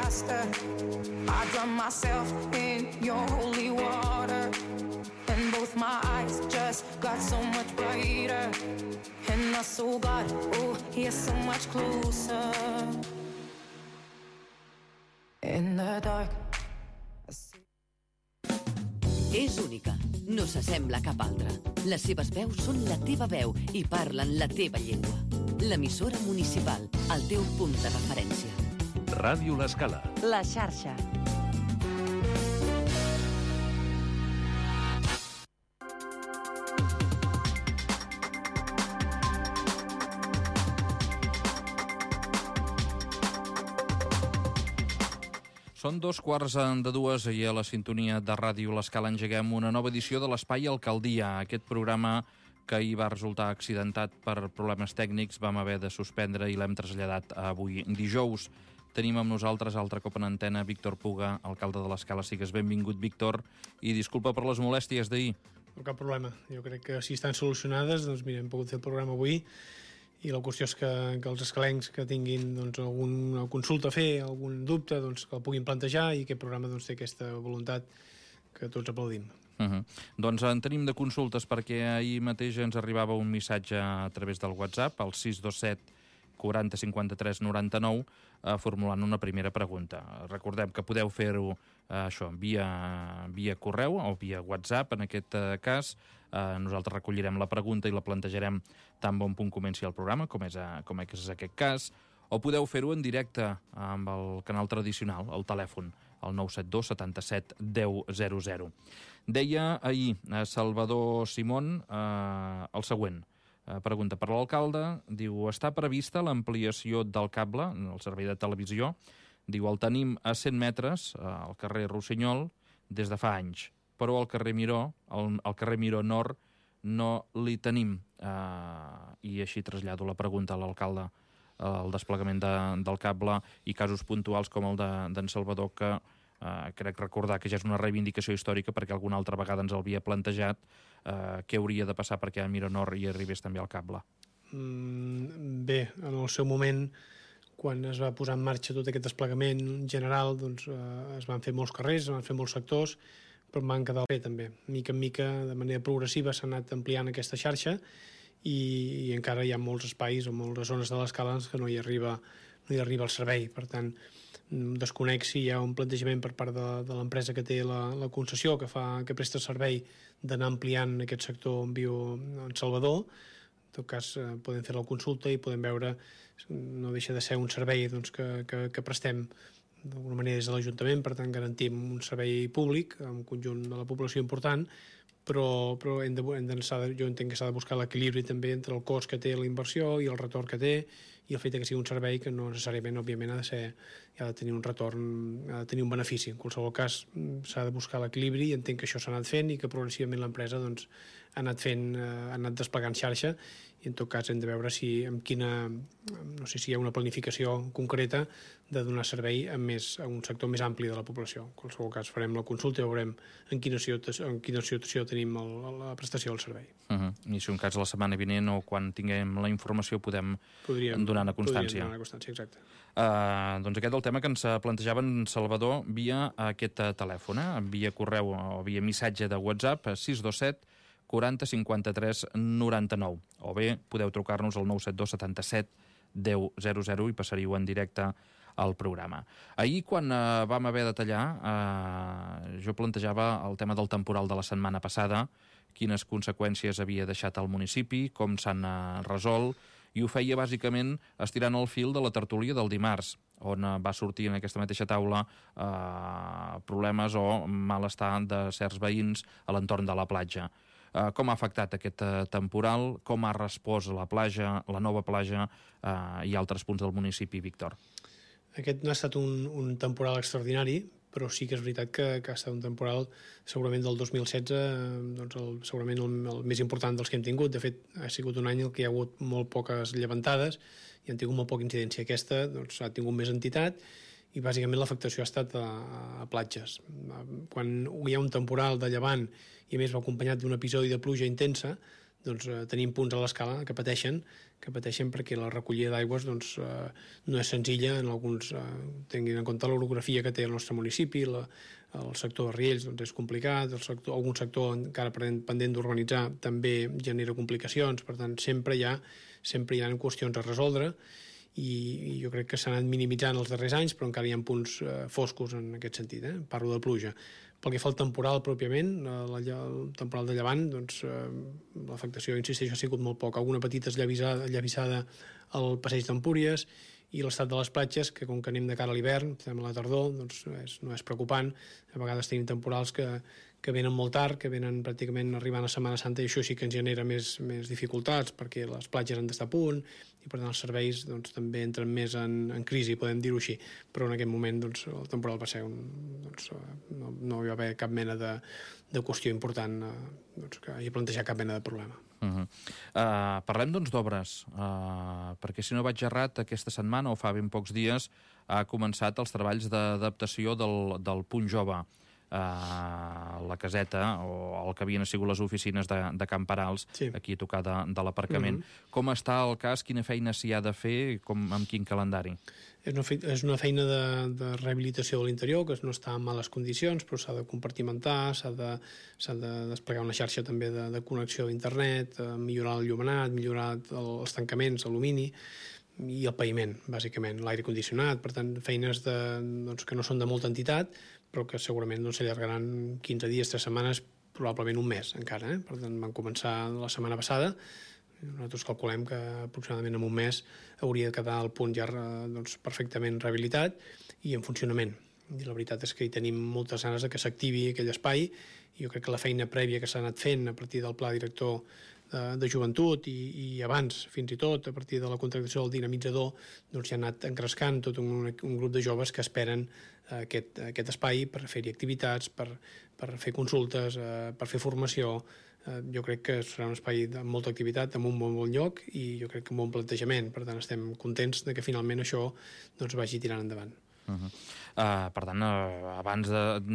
faster. I drown myself in your holy water, and both my eyes just got so much brighter. And I saw God, oh, you're so much closer. In the dark. És única, no s'assembla a cap altra. Les seves veus són la teva veu i parlen la teva llengua. L'emissora municipal, el teu punt de referència. Ràdio L'Escala. La xarxa. Són 2:15 i a la sintonia de Ràdio L'Escala engeguem una nova edició de l'Espai Alcaldia. Aquest programa que ahir va resultar accidentat per problemes tècnics vam haver de suspendre i l'hem traslladat a avui dijous. Tenim amb nosaltres altre cop en antena Víctor Puga, alcalde de l'Escala. Sigues benvingut, Víctor, i disculpa per les molèsties d'ahir. No cap problema. Jo crec que si estan solucionades, doncs mira, hem pogut fer el programa avui. I la qüestió és que els escalencs que tinguin doncs, alguna consulta a fer, algun dubte, doncs, que el puguin plantejar, i aquest programa doncs, té aquesta voluntat que tots aplaudim. Doncs en tenim de consultes, perquè ahir mateix ens arribava un missatge a través del WhatsApp, al 627 40 53 99, formulant una primera pregunta. Recordem que podeu fer-ho això via correu o via WhatsApp, en aquest cas. Nosaltres recollirem la pregunta i la plantejarem tan bon punt comenci el programa, com és aquest cas, o podeu fer-ho en directe amb el canal tradicional, el telèfon, el 972 77 10 00. Deia ahir Salvador Simón el següent. Pregunta per l'alcalde, diu, està prevista l'ampliació del cable, el servei de televisió, diu, el tenim a 100 metres, al carrer Rossinyol, des de fa anys, però al carrer Miró, al carrer Miró Nord, no li tenim. I així trasllado la pregunta a l'alcalde, el desplegament del cable i casos puntuals com el d'en Salvador, que crec recordar que ja és una reivindicació històrica perquè alguna altra vegada ens havia plantejat què hauria de passar perquè a Miró Nord hi arribés també el cable. Bé, en el seu moment, quan es va posar en marxa tot aquest desplegament general, doncs es van fer molts carrers, es van fer molts sectors, però van quedar bé també. Mica en mica, de manera progressiva, s'ha anat ampliant aquesta xarxa i encara hi ha molts espais o moltes zones de l'Escala que no hi arriba el servei. Per tant, desconec si hi ha un plantejament per part de l'empresa que té la concessió, que presta servei, d'anar ampliant aquest sector en viu en Salvador. En tot cas, podem fer la consulta i podem veure, no deixa de ser un servei doncs, que prestem d'alguna manera des de l'Ajuntament, per tant garantim un servei públic amb un conjunt de la població important, però jo entenc que s'ha de buscar l'equilibri també entre el cost que té la inversió i el retorn que té, i el fet que sigui un servei que no necessàriament, òbviament, ha de tenir un retorn, ha de tenir un benefici. En qualsevol cas, s'ha de buscar l'equilibri, i entenc que això s'ha anat fent i que progressivament l'empresa doncs, ha anat desplegant xarxa, i en tot cas hem de veure no sé si hi ha una planificació concreta de donar servei a un sector més ampli de la població. En qualsevol cas farem la consulta i veurem en quina situació tenim la prestació del servei. I si un cas la setmana vinent o quan tinguem la informació podríem donar constància. Podríem donar constància, exacte. Doncs aquest és el tema que ens plantejava en Salvador via aquest telèfon, via correu o via missatge de WhatsApp, 627 40 53 99, o bé podeu trucar-nos al 972 77 10 00 i passaríeu en directe al programa. Ahir, quan vam haver de tallar, jo plantejava el tema del temporal de la setmana passada, quines conseqüències havia deixat al municipi, com s'han resolt, i ho feia bàsicament estirant el fil de la tertúlia del dimarts, on va sortir en aquesta mateixa taula problemes o malestar de certs veïns a l'entorn de la platja. Com ha afectat aquest temporal, com ha respost la nova platja i altres punts del municipi, Víctor? Aquest no ha estat un temporal extraordinari, però sí que és veritat que ha estat un temporal segurament del 2016, doncs segurament el més important dels que hem tingut. De fet, ha sigut un any en què hi ha hagut molt poques llevantades i han tingut molt poca incidència. Aquesta doncs, ha tingut més entitat, i bàsicament l'afectació ha estat a platges. Quan hi ha un temporal de llevant i a més va acompanyat d'un episodi de pluja intensa, tenim punts a l'escala que pateixen perquè la recollida d'aigües no és senzilla en alguns, tinguin en compte l'orografia que té el nostre municipi, el sector de Riells és complicat, algun sector encara pendent d'urbanitzar també genera complicacions, per tant sempre hi ha qüestions a resoldre i jo crec que s'han anat minimitzant els darrers anys, però encara hi ha punts foscos en aquest sentit, parlo de pluja. Pel que fa al temporal pròpiament, el temporal de llevant, l'afectació, insisteixo, ha sigut molt poc. Alguna petita esllavissada al passeig d'Empúries i l'estat de les platges, que com que anem de cara a l'hivern, estem a la tardor, no és preocupant. A vegades tenim temporals que venen molt tard, que venen pràcticament arribant a Setmana Santa, i això sí que ens genera més dificultats, perquè les platges han d'estar a punt, i per tant els serveis també entren més en crisi, podem dir-ho així. Però en aquest moment el temporal va ser no hi va haver cap mena de qüestió important que hagi plantejat cap mena de problema. Parlem d'obres, perquè si no vaig errat, aquesta setmana o fa ben pocs dies ha començat els treballs d'adaptació del Punt Jove, la caseta o el que havien sigut les oficines de Can Parals, aquí a tocar de l'aparcament. Com està el cas? Quina feina s'hi ha de fer? Amb quin calendari? És una feina de rehabilitació de l'interior, que no està en males condicions, però s'ha de compartimentar, s'ha de desplegar una xarxa també de connexió d'internet, millorar el llumenat, millorar els tancaments, alumini, i el paviment, bàsicament, l'aire condicionat. Per tant, feines que no són de molta entitat, però que segurament s'allargaran 15 dies, 3 setmanes, probablement un mes encara. Per tant, van començar la setmana passada. Nosaltres calculem que aproximadament en un mes hauria de quedar el punt ja perfectament rehabilitat i en funcionament. I la veritat és que hi tenim moltes ganes que s'activi aquell espai, i jo crec que la feina prèvia que s'ha anat fent a partir del pla director de joventut i abans, fins i tot, a partir de la contractació del dinamitzador, ja ha anat engrescant tot un grup de joves que esperen aquest espai per fer-hi activitats, per fer consultes, per fer formació. Jo crec que serà un espai de molta activitat, amb un bon lloc, i jo crec que amb un bon plantejament. Per tant, estem contents que finalment això vagi tirant endavant. Per tant, abans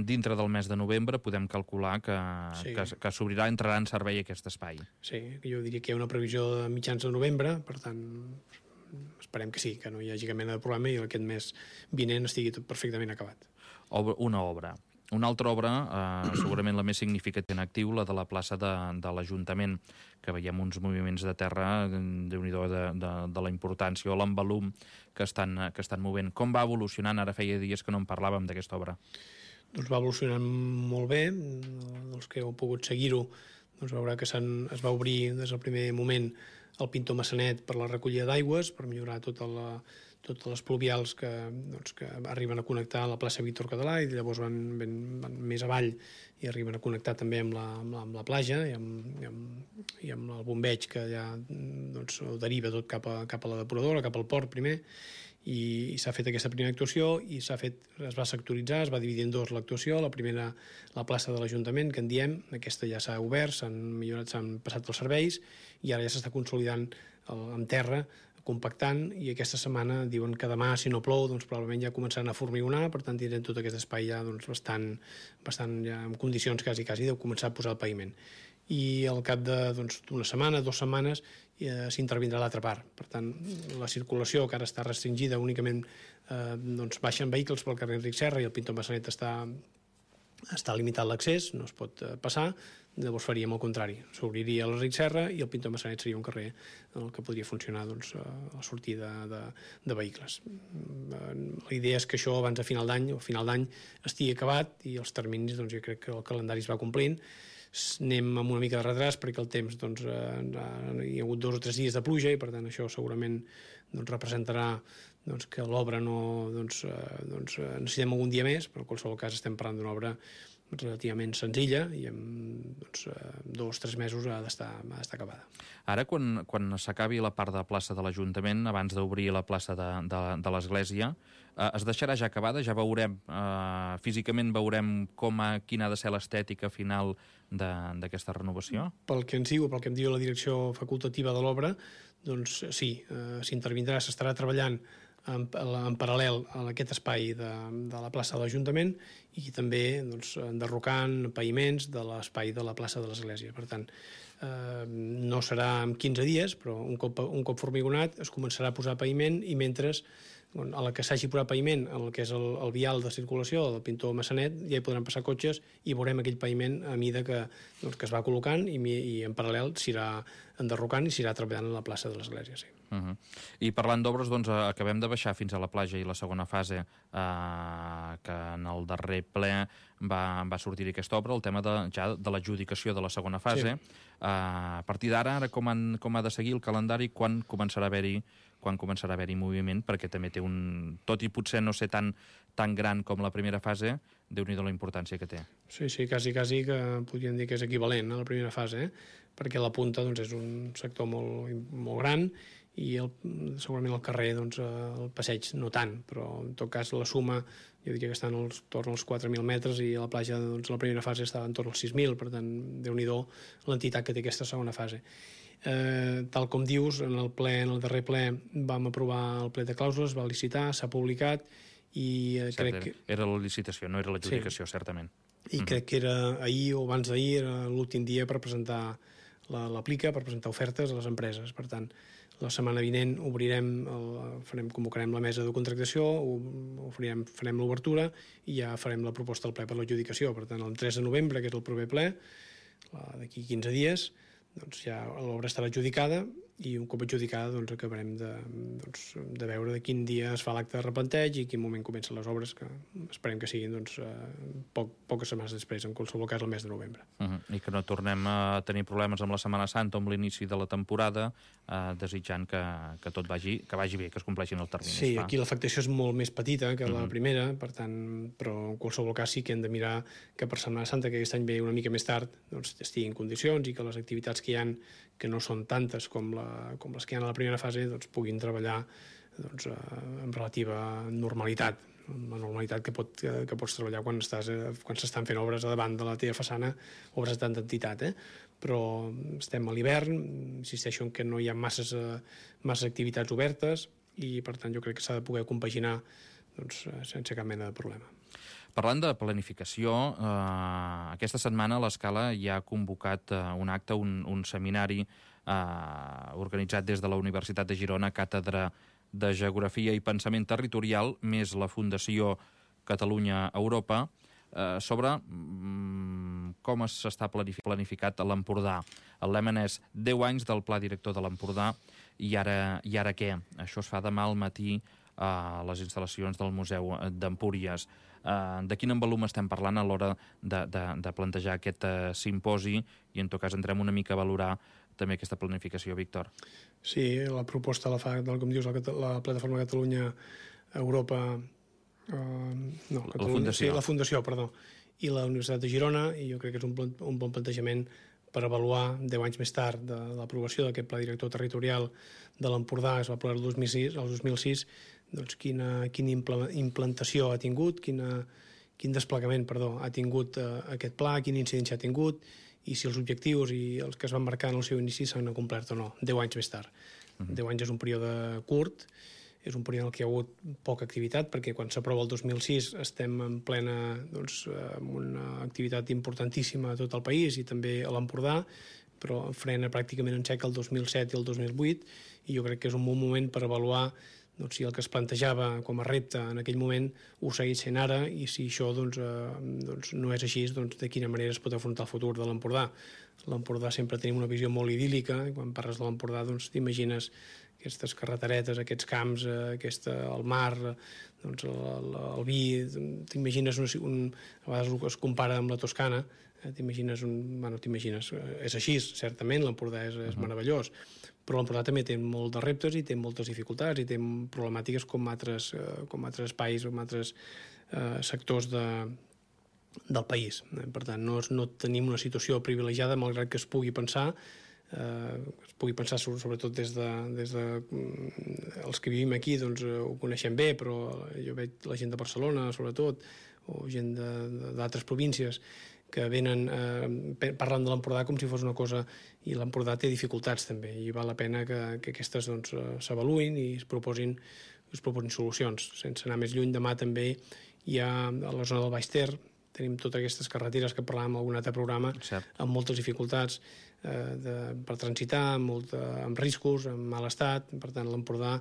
dintre del mes de novembre podem calcular que s'obrirà, entrarà en servei aquest espai. Sí, jo diria que hi ha una previsió de mitjans de novembre, per tant esperem que sí, que no hi hagi cap mena de problema i aquest mes vinent estigui tot perfectament acabat. Una obra. Una altra obra, segurament la més significativa en actiu, la de la plaça de l'Ajuntament, que veiem uns moviments de terra, déu-n'hi-do, de la importància o l'envolum que estan movent. Com va evolucionant? Ara feia dies que no en parlàvem d'aquesta obra. Doncs va evolucionant molt bé. Els que heu pogut seguir-ho veurà que es va obrir des del primer moment el Pintor Massanet per la recollida d'aigües, per millorar totes les pluvials que arriben a connectar la plaça Víctor Català, i llavors van més avall i arriben a connectar també amb la platja i amb el bombeig, que ja ho deriva tot cap a la depuradora, cap al port primer, i s'ha fet aquesta primera actuació i es va sectoritzar, es va dividir en dos l'actuació. La primera, la plaça de l'Ajuntament, que en diem, aquesta ja s'ha obert, s'han millorat, s'han passat els serveis, i ara ja s'està consolidant en terra, compactant, i aquesta setmana diuen que demà, si no plou, probablement ja començaran a formigonar, per tant tindrem tot aquest espai ja bastant ja en condicions quasi de començar a posar el paviment. I al cap d'una setmana, 2 setmanes, s'intervindrà l'altra part. Per tant, la circulació, que ara està restringida, únicament baixen vehicles pel carrer Enric Serra i el Pintor Massanet està limitat l'accés, no es pot passar. Llavors faríem el contrari, s'obriria l'Enric Serra i el Pintor Massanet seria un carrer en el que podria funcionar la sortida de vehicles. La idea és que això abans de final d'any estigui acabat, i els terminis, jo crec que el calendari es va complint. Anem amb una mica de retras perquè el temps hi ha hagut 2 o 3 dies de pluja, i per tant això segurament representarà que l'obra necessitem algun dia més, però en qualsevol cas estem parlant d'una obra relativament senzilla i en 2 o 3 mesos ha d'estar acabada. Ara, quan s'acabi la part de la plaça de l'Ajuntament, abans d'obrir la plaça de l'Església, es deixarà ja acabada? Ja veurem, físicament veurem quina ha de ser l'estètica final d'aquesta renovació? Pel que ens diu, pel que em diu la direcció facultativa de l'obra, doncs sí, s'intervindrà, s'estarà treballant en paral·lel a aquest espai de la plaça de l'Ajuntament, i també enderrocant paviments de l'espai de la plaça de l'Església. Per tant, no serà en 15 dies, però un cop formigonat es començarà a posar paviment i mentre a la que s'hagi posat paviment, el que és el vial de circulació del Pintor Massanet, ja hi podran passar cotxes i veurem aquell paviment a mida que es va col·locant i en paral·lel s'irà enderrocant i s'irà treballant a la plaça de l'Església, sí. I parlant d'obres, doncs, acabem de baixar fins a la platja i la segona fase, que en el darrer ple va sortir aquesta obra, el tema ja de l'adjudicació de la segona fase. Sí. A partir d'ara, com ha de seguir el calendari, quan començarà a haver-hi moviment, perquè també té tot i potser no ser tan gran com la primera fase, Déu-n'hi-do la importància que té. Sí, quasi que podríem dir que és equivalent a la primera fase, perquè la punta és un sector molt gran i segurament al carrer el passeig no tant, però en tot cas la suma jo diria que estan torn als 4.000 metres i a la platja la primera fase estava entorn als 6.000, per tant, Déu-n'hi-do l'entitat que té aquesta segona fase. Tal com dius, en el darrer ple vam aprovar el ple de clàusules, va licitar, s'ha publicat i crec que... Era la licitació, no era l'adjudicació, certament. I crec que era ahir o abans d'ahir, era l'últim dia per presentar l'aplica, per presentar ofertes a les empreses. Per tant, la setmana vinent convocarem la mesa de contractació, farem l'obertura i ja farem la proposta al ple per l'adjudicació. Per tant, el 3 de novembre, que és el proper ple, d'aquí 15 dies, ja l'obra estarà adjudicada i un cop adjudicada acabarem de veure de quin dia es fa l'acte de replanteig i quin moment comencen les obres, que esperem que siguin poques setmanes després, en qualsevol cas el mes de novembre. I que no tornem a tenir problemes amb la Setmana Santa o amb l'inici de la temporada, desitjant que tot vagi bé, que es compleixin els terminis. Sí, aquí l'afectació és molt més petita que la primera, per tant, però en qualsevol cas sí que hem de mirar que per Setmana Santa, que aquest any ve una mica més tard, estigui en condicions i que les activitats que hi ha, que no són tantes com les que hi ha a la primera fase, puguin treballar amb relativa normalitat, la normalitat que pots treballar quan s'estan fent obres a davant de la teva façana, obres de tanta entitat, però estem a l'hivern, insisteixo en que no hi ha masses activitats obertes i per tant jo crec que s'ha de poder compaginar sense cap mena de problema. Parlant de planificació, aquesta setmana l'Escala ja ha convocat un acte, un seminari organitzat des de la Universitat de Girona, Càtedra de Geografia i Pensament Territorial, més la Fundació Catalunya-Europa, sobre com s'està planificat a l'Empordà. El lema és 10 anys del Pla Director de l'Empordà i ara què? Això es fa demà al matí a les instal·lacions del Museu d'Empúries. De quin envolum estem parlant a l'hora de plantejar aquest simposi i en tot cas entrem una mica a valorar també aquesta planificació, Víctor. Sí, la proposta la fa, com dius, la Plataforma Catalunya-Europa... La Fundació. Sí, la Fundació, perdó, i la Universitat de Girona, i jo crec que és un bon plantejament per avaluar 10 anys més tard de l'aprovació d'aquest Pla Director Territorial de l'Empordà, que es va aprovar el 2006, quina implantació ha tingut, quin desplegament ha tingut aquest pla, quina incidència ha tingut, i si els objectius i els que es van marcar en el seu inici s'han complert o no, 10 anys més tard. 10 anys és un període curt, és un període en què hi ha hagut poca activitat, perquè quan s'aprova el 2006 estem en plena amb una activitat importantíssima a tot el país i també a l'Empordà, però frena pràcticament en sec el 2007 i el 2008, i jo crec que és un bon moment per avaluar si el que es plantejava com a repte en aquell moment ho segueix sent ara, i si això no és així, de quina manera es pot afrontar el futur de l'Empordà. L'Empordà sempre tenim una visió molt idíl·lica, i quan parles de l'Empordà t'imagines aquestes carreteretes, aquests camps, el mar, el vi, t'imagines, a vegades es compara amb la Toscana, t'imagines, és així, certament, l'Empordà és meravellós, però l'Empordà també té molt de reptes i té moltes dificultats i té problemàtiques com altres espais, com altres sectors del país. Per tant, no tenim una situació privilegiada, malgrat que es pugui pensar sobretot des de els que vivim aquí ho coneixem bé, però jo veig la gent de Barcelona sobretot, o gent d'altres províncies que venen parlant de l'Empordà com si fos una cosa, i l'Empordà té dificultats també, i val la pena que aquestes s'avaluïn i es proposin solucions. Sense anar més lluny, demà també hi ha a la zona del Baix Ter tenim totes aquestes carreteres que parlàvem en algun altre programa, amb moltes dificultats per transitar, amb riscos, en mal estat. Per tant, l'Empordà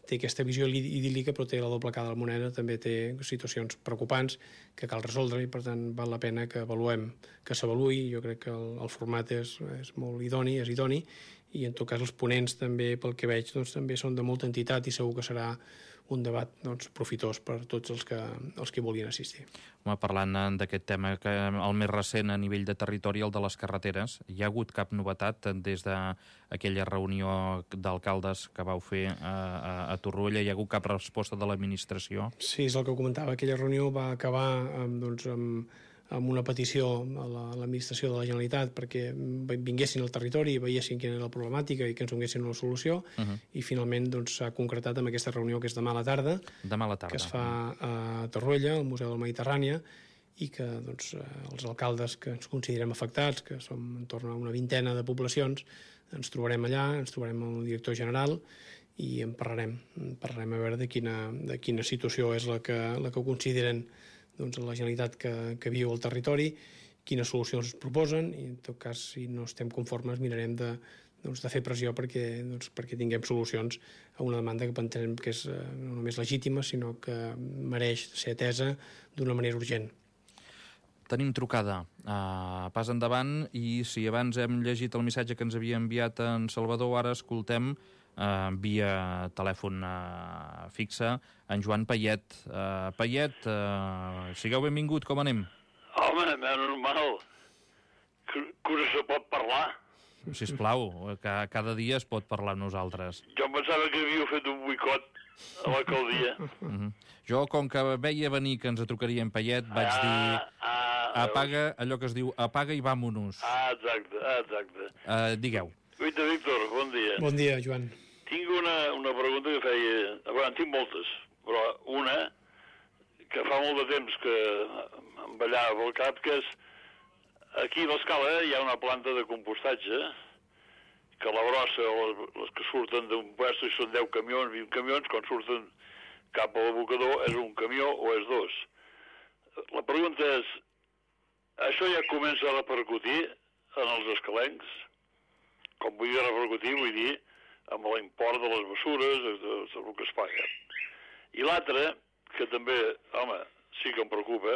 té aquesta visió idíl·lica, però té la doble cara de la moneda, també té situacions preocupants que cal resoldre, i per tant val la pena que s'avaluï. Jo crec que el format és molt idoni, i en tot cas els ponents també, pel que veig, també són de molta entitat, i segur que serà un debat profitós per tots els que vulguin assistir. Parlant d'aquest tema, que el més recent a nivell de territori, el de les carreteres, hi ha hagut cap novetat des d'aquella reunió d'alcaldes que vau fer a Torroella? Hi ha hagut cap resposta de l'administració? Sí, és el que comentava. Aquella reunió va acabar amb una petició a l'administració de la Generalitat perquè vinguessin al territori i veiessin quina era la problemàtica i que ens donessin una solució, i finalment s'ha concretat amb aquesta reunió que és demà a la tarda, que es fa a Torroella, al Museu del Mediterrània, i que els alcaldes que ens considerem afectats, que som en torn a una vintena de poblacions, ens trobarem allà, ens trobarem amb el director general i en parlarem a veure de quina situació és la que consideren la Generalitat que viu al territori, quines solucions proposen, i en tot cas, si no estem conformes, mirarem de fer pressió perquè tinguem solucions a una demanda que entenem que és no només legítima, sinó que mereix ser atesa d'una manera urgent. Tenim trucada. Pas endavant, i si abans hem llegit el missatge que ens havia enviat en Salvador, ara escoltem via telèfon fixe en Joan Payet. Payet, sigueu benvingut, com anem? Home, normal. Que no se pot parlar. Sisplau, cada dia es pot parlar amb nosaltres. Jo pensava que havíeu fet un boicot a l'alcaldia. Jo, com que veia venir que ens trucaria en Payet, vaig dir apaga, allò que es diu apaga i vamonos. Exacte. Digueu. Guita, Víctor, bon dia. Bon dia, Joan. Tinc una pregunta que feia... Bueno, en tinc moltes, però una que fa molt de temps que em ballava pel cap, que és... Aquí a l'Escala hi ha una planta de compostatge que la brossa, les que surten d'un puesto, i són 10 camions, 20 camions, quan surten cap a l'abocador, és un camió o és dos. La pregunta és, això ja comença a repercutir en els escalencs? Com vull dir repercutir, vull dir amb l'import de les mesures, del que es paga. I l'altre, que també, home, sí que em preocupa,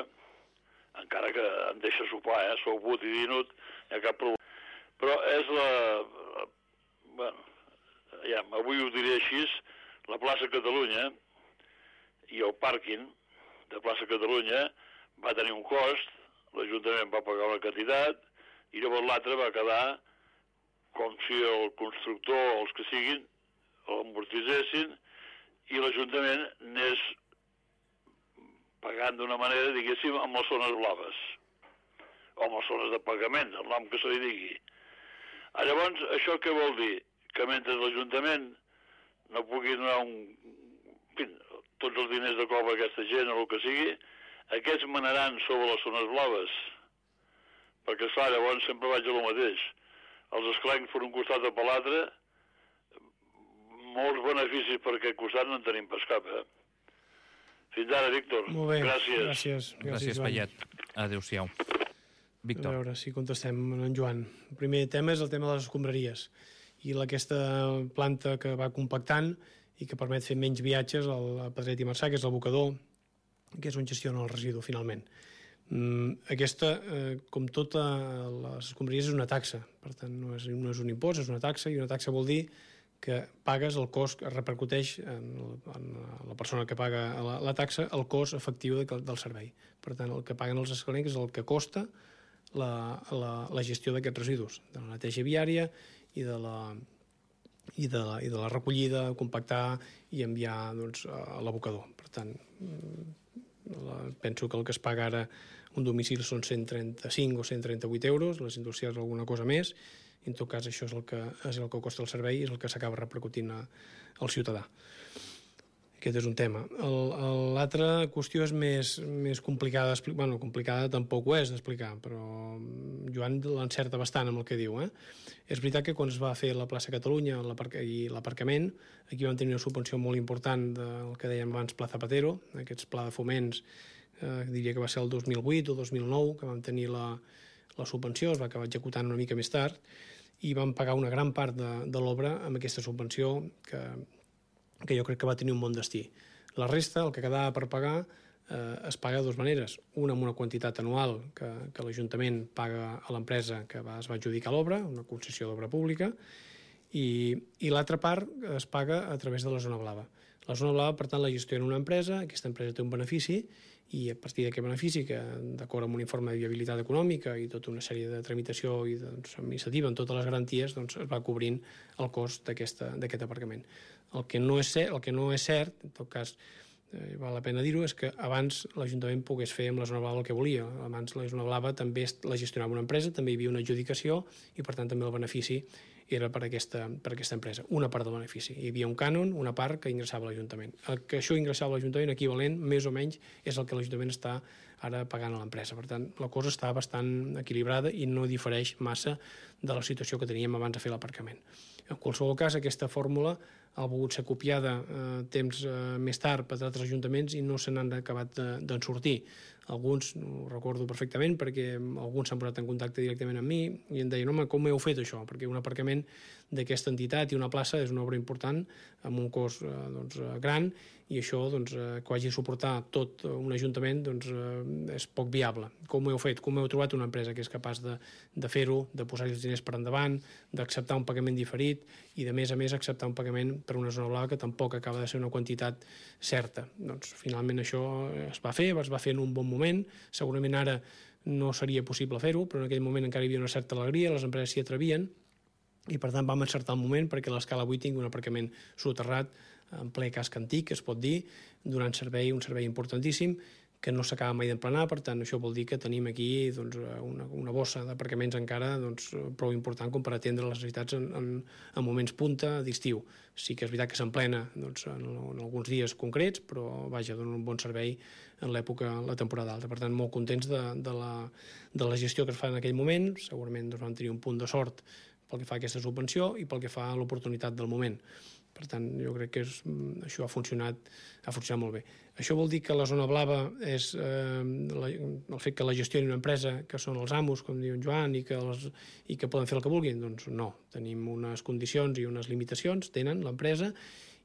encara que em deixa sopar, sou but i dinut, no hi ha cap problema. Però és avui ho diré així, la plaça Catalunya i el pàrquing de plaça Catalunya va tenir un cost, l'Ajuntament va pagar una quantitat, i llavors l'altre va quedar com si el constructor o els que siguin l'amortitzessin i l'Ajuntament anés pagant d'una manera, diguéssim, amb les zones blaves o amb les zones de pagament, el nom que se li digui. Llavors, això què vol dir? Que mentre l'Ajuntament no pugui donar tots els diners de cop a aquesta gent o el que sigui, aquests manaran sobre les zones blaves. Perquè, esclar, llavors sempre vaig a lo mateix. Els esclencs per un costat o per l'altre, molts beneficis per aquest costat no en tenim pas cap, Fins ara, Víctor. Molt bé, gràcies. Gràcies, Payet. Adéu-siau. Víctor. A veure si contestem en Joan. El primer tema és el tema de les escombraries i aquesta planta que va compactant i que permet fer menys viatges a Pedret i Marçà, que és l'abocador, que és on gestiona el residu, finalment. Aquesta, com totes les escombraries, és una taxa. Per tant, no és un impost, és una taxa, i una taxa vol dir que pagues el cost, es repercuteix en la persona que paga la taxa, el cost efectiu del servei. Per tant, el que paguen els escalencs és el que costa la gestió d'aquests residus, de la neteja viària i de la recollida, compactar i enviar a l'abocador. Per tant, penso que el que es paga ara un domicili són 135 o 138 euros, les industrials alguna cosa més, i en tot cas això és el que costa el servei i és el que s'acaba repercutint al ciutadà. Aquest és un tema. L'altra qüestió és més complicada d'explicar. Bueno, complicada tampoc ho és d'explicar, però Joan l'encerta bastant amb el que diu. És veritat que quan es va fer la plaça Catalunya i l'aparcament, aquí vam tenir una subvenció molt important del que dèiem abans Pla Zapatero, aquests pla de foments diria que va ser el 2008 o 2009, que vam tenir la subvenció, es va acabar executant una mica més tard, i vam pagar una gran part de l'obra amb aquesta subvenció que jo crec que va tenir un bon destí. La resta, el que quedava per pagar, es paga de dues maneres. Una amb una quantitat anual que l'Ajuntament paga a l'empresa que es va adjudicar l'obra, una concessió d'obra pública, i l'altra part es paga a través de la zona blava. La zona blava, per tant, la gestiona una empresa, aquesta empresa té un benefici, i a partir d'aquest benefici, que d'acord amb un informe de viabilitat econòmica i tota una sèrie de tramitació i administrativa amb totes les garanties, es va cobrint el cost d'aquest aparcament. El que no és cert, en tot cas, val la pena dir-ho, és que abans l'Ajuntament pogués fer amb la zona blava el que volia. Abans la zona blava també la gestionava una empresa, també hi havia una adjudicació i per tant també el benefici era per aquesta empresa, una part del benefici. Hi havia un cànon, una part que ingressava a l'Ajuntament. El que això ingressava a l'Ajuntament equivalent, més o menys, és el que l'Ajuntament està ara pagant a l'empresa. Per tant, la cosa està bastant equilibrada i no difereix massa de la situació que teníem abans de fer l'aparcament. En qualsevol cas, aquesta fórmula ha volgut ser copiada temps més tard per altres ajuntaments i no se n'han acabat d'en sortir. Alguns, ho recordo perfectament, perquè alguns s'han posat en contacte directament amb mi i em deien, home, com heu fet això? Perquè un aparcament d'aquesta entitat i una plaça és una obra important amb un cost gran i això, que ho hagi de suportar tot un ajuntament, és poc viable. Com ho heu fet? Com heu trobat una empresa que és capaç de fer-ho, de posar els diners per endavant, d'acceptar un pagament diferit i, de més a més, acceptar un pagament per una zona blava que tampoc acaba de ser una quantitat certa? Finalment això es va fer en un bon moment. Segurament ara no seria possible fer-ho, però en aquell moment encara hi havia una certa alegria, les empreses s'hi atrevien i per tant vam encertar el moment perquè l'escala 8 tingui un aparcament soterrat en ple casc antic, es pot dir, donant servei, un servei importantíssim que no s'acaba mai d'emplenar. Per tant, això vol dir que tenim aquí una bossa d'aparcaments encara prou important com per atendre les necessitats en moments punta d'estiu. Sí que és veritat que s'emplena en alguns dies concrets, però vaja, dona un bon servei en la temporada alta. Per tant, molt contents de la gestió que es fa en aquell moment. Segurament vam tenir un punt de sort pel que fa a aquesta subvenció i pel que fa a l'oportunitat del moment. Per tant, jo crec que això ha funcionat molt bé. Això vol dir que la zona blava és el fet que la gestioni una empresa que són els amos, com diu en Joan, i que poden fer el que vulguin? Doncs no. Tenim unes condicions i unes limitacions, tenen l'empresa,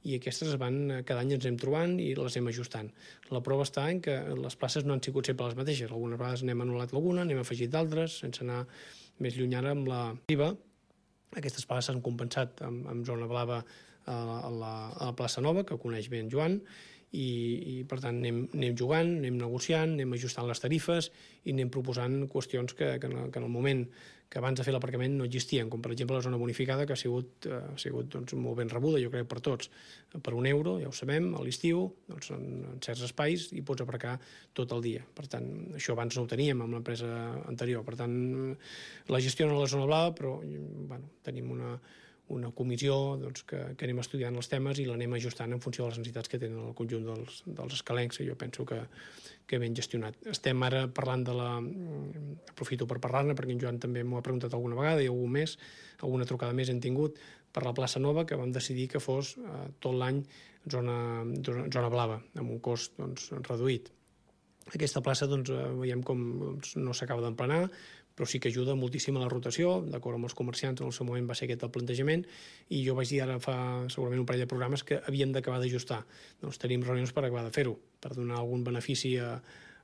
i aquestes cada any ens hem trobant i les hem ajustant. La prova està en que les places no han sigut sempre les mateixes. Algunes vegades n'hem anul·lat alguna, n'hem afegit d'altres, sense anar més lluny ara amb la IVA. Aquestes places s'han compensat amb zona blava a la plaça Nova, que coneix bé en Joan, i per tant anem jugant, anem negociant, anem ajustant les tarifes i anem proposant qüestions que en el moment que abans de fer l'aparcament no existien, com per exemple la zona bonificada, que ha sigut molt ben rebuda, jo crec, per tots. Per €1, ja ho sabem, a l'estiu, en certs espais hi pots aparcar tot el dia. Per tant, això abans no ho teníem amb l'empresa anterior. Per tant, la gestiona la zona blava, però tenim una comissió que anem estudiant els temes i l'anem ajustant en funció de les necessitats que tenen el conjunt dels escalencs, i jo penso que ben gestionat. Estem ara parlant aprofito per parlar-ne, perquè en Joan també m'ho ha preguntat alguna vegada i alguna trucada més hem tingut per la plaça Nova, que vam decidir que fos tot l'any zona blava, amb un cost reduït. Aquesta plaça veiem com no s'acaba d'emplenar, però sí que ajuda moltíssim a la rotació, d'acord amb els comerciants, en el seu moment va ser aquest el plantejament, i jo vaig dir ara fa segurament un parell de programes que havíem d'acabar d'ajustar. Tenim reunions per acabar de fer-ho, per donar algun benefici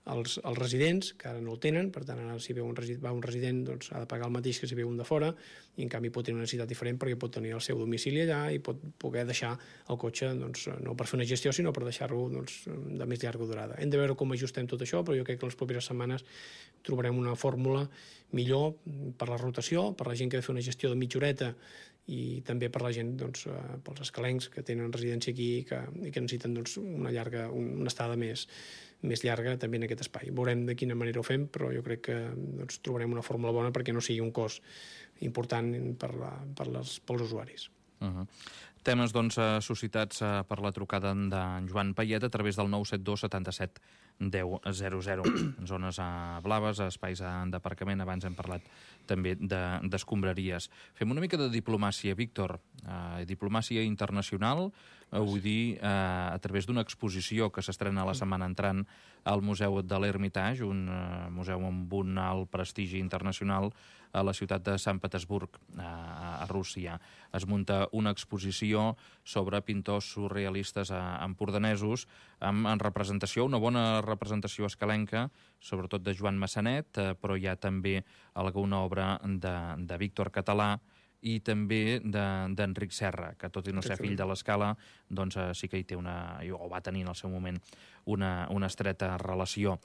als residents, que ara no el tenen. Per tant, ara si va un resident ha de pagar el mateix que si ve un de fora, i en canvi pot tenir una necessitat diferent perquè pot tenir el seu domicili allà i pot poder deixar el cotxe no per fer una gestió, sinó per deixar-lo de més llarga durada. Hem de veure com ajustem tot això, però jo crec que les properes setmanes trobarem una fórmula millor per la rotació, per la gent que ha de fer una gestió de mitja horeta, i també per la gent, pels escalencs que tenen residència aquí i que necessiten una estada més llarga també en aquest espai. Veurem de quina manera ho fem, però jo crec que trobarem una fórmula bona perquè no sigui un cost important pels usuaris. Temes suscitats per la trucada d'en Joan Payet a través del 972 77 1000. Zones blaves, espais d'aparcament, abans hem parlat també d'escombraries. Fem una mica de diplomàcia, Víctor, diplomàcia internacional, vull dir, a través d'una exposició que s'estrena la setmana entrant al Museu de l'Hermitage, un museu amb un alt prestigi internacional a la ciutat de Sant Petersburg, a Rússia. Es munta una exposició sobre pintors surrealistes empordanesos en representació, una bona representació escalenca, sobretot de Joan Massanet, però hi ha també alguna obra de Víctor Català i també d'Enric Serra, que tot i no ser fill de l'Escala, doncs sí que hi té o va tenir en el seu moment una estreta relació.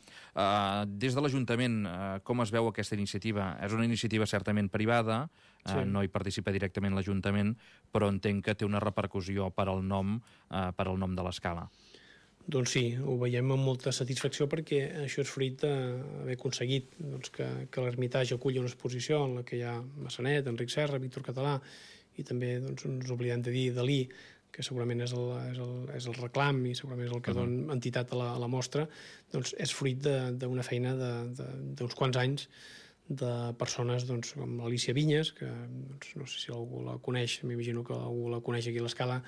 Des de l'Ajuntament, com es veu aquesta iniciativa? És una iniciativa certament privada, no hi participa directament l'Ajuntament, però entenc que té una repercussió per al nom de l'Escala. Doncs sí, ho veiem amb molta satisfacció perquè això és fruit d'haver aconseguit que l'Hermitage aculli una exposició en la que hi ha Massanet, Enric Serra, Víctor Català i també ens oblidem de dir Dalí, que segurament és el reclam i segurament és el que dona entitat a la mostra, doncs és fruit d'una feina d'uns quants anys de persones com Alicia Vinyes, que no sé si algú la coneix, m'imagino que algú la coneix aquí a l'Escala,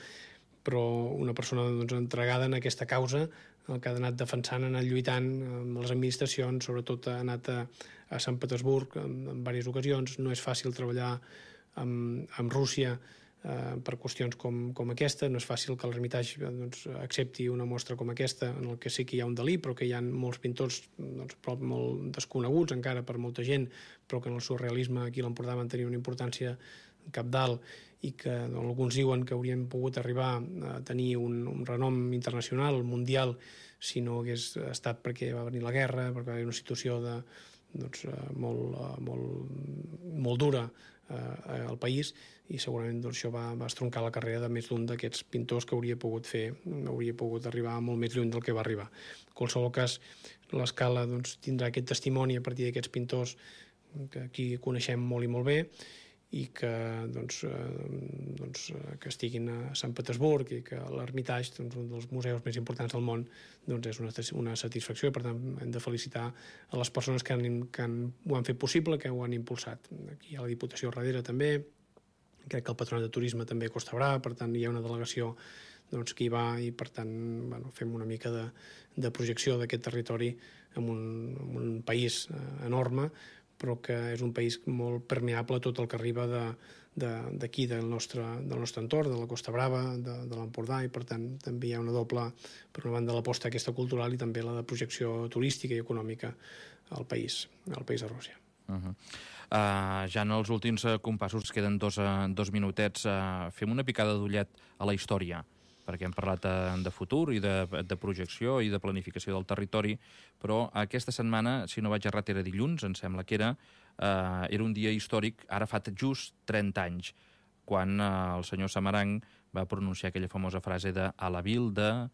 però una persona entregada en aquesta causa, el que ha anat defensant, ha anat lluitant amb les administracions, sobretot ha anat a Sant Petersburg en diverses ocasions. No és fàcil treballar amb Rússia per qüestions com aquesta, no és fàcil que l'Hermitage accepti una mostra com aquesta, en el que sí que hi ha un Dalí, però que hi ha molts pintors molt desconeguts encara per molta gent, però que en el surrealisme aquí a l'Empordà van tenir una importància cabdal i que alguns diuen que haurien pogut arribar a tenir un renom internacional, mundial, si no hagués estat perquè va venir la guerra, perquè va haver una situació molt dura al país, i segurament això va estroncar la carrera de més d'un d'aquests pintors que hauria pogut arribar molt més lluny del que va arribar. En qualsevol cas, l'Escala tindrà aquest testimoni a partir d'aquests pintors que aquí coneixem molt i molt bé, i que estiguin a Sant Petersburg i que l'Hermitage, un dels museus més importants del món, és una satisfacció. Per tant, hem de felicitar a les persones que ho han fet possible, que ho han impulsat. Aquí hi ha la Diputació darrere també, crec que el Patronat de Turisme també a Costa Brava, per tant hi ha una delegació que hi va i per tant fem una mica de projecció d'aquest territori en un país enorme, però que és un país molt permeable a tot el que arriba d'aquí, del nostre entorn, de la Costa Brava, de l'Empordà, i per tant també hi ha una doble, per una banda l'aposta aquesta cultural i també la de projecció turística i econòmica al país de Rússia. Ja en els últims compassos, queden dos minutets, fem una picada d'ullet a la història, perquè hem parlat de futur i de projecció i de planificació del territori, però aquesta setmana, si no vaig errat, era dilluns, em sembla que era un dia històric, ara fa just 30 anys, quan el senyor Samaranch va pronunciar aquella famosa frase de «a la vil de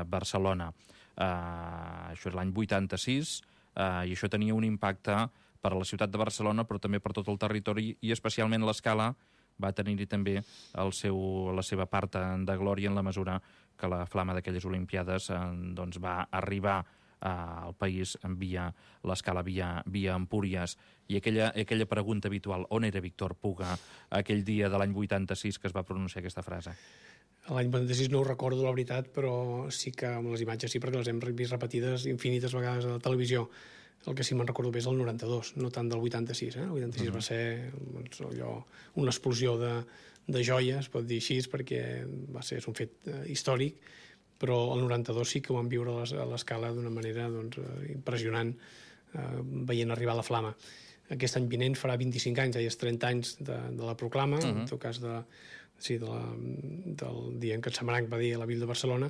Barcelona». Això és l'any 86, i això tenia un impacte per a la ciutat de Barcelona, però també per tot el territori, i especialment l'Escala va tenir-hi també la seva part de glòria en la mesura que la flama d'aquelles Olimpiades va arribar al país via l'Escala, via Empúries. I aquella pregunta habitual, on era Víctor Puga aquell dia de l'any 86 que es va pronunciar aquesta frase? L'any 86 no ho recordo, la veritat, però sí que amb les imatges sí, perquè les hem vist repetides infinites vegades a la televisió. El que sí me'n recordo bé és el 92, no tant del 86. El 86 va ser una explosió de joies, pot dir així, perquè és un fet històric, però el 92 sí que ho vam viure a l'Escala d'una manera impressionant, veient arribar la flama. Aquest any vinent farà 25 anys, és 30 anys de la proclama, en tot cas del dia en què Samaranch va dir a la vil de Barcelona,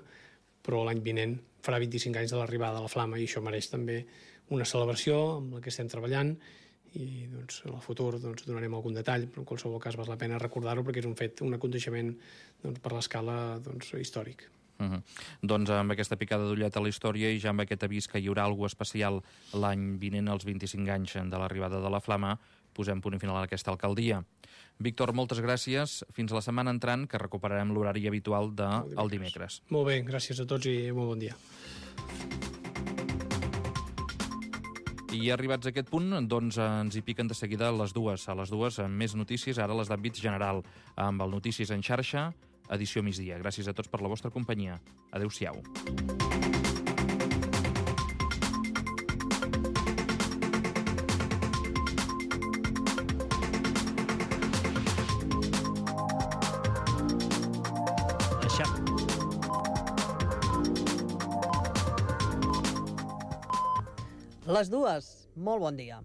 però l'any vinent farà 25 anys de l'arribada de la flama, i això mereix també una celebració amb la que estem treballant, i en el futur donarem algun detall, però en qualsevol cas val la pena recordar-ho perquè és un aconteixement per l'Escala històric. Doncs amb aquesta picada d'ullet a la història i ja amb aquest avís que hi haurà alguna especial l'any vinent, als 25 anys de l'arribada de la flama, posem punt i final a aquesta alcaldia. Víctor, moltes gràcies. Fins la setmana entrant, que recuperarem l'horari habitual del dimecres. Molt bé, gràcies a tots i molt bon dia. I arribats a aquest punt, doncs ens hi piquen de seguida a les dues. A les dues, amb més notícies, ara les d'àmbit general, amb el Notícies en xarxa, edició migdia. Gràcies a tots per la vostra companyia. Adéu-siau. Les dues, molt bon dia.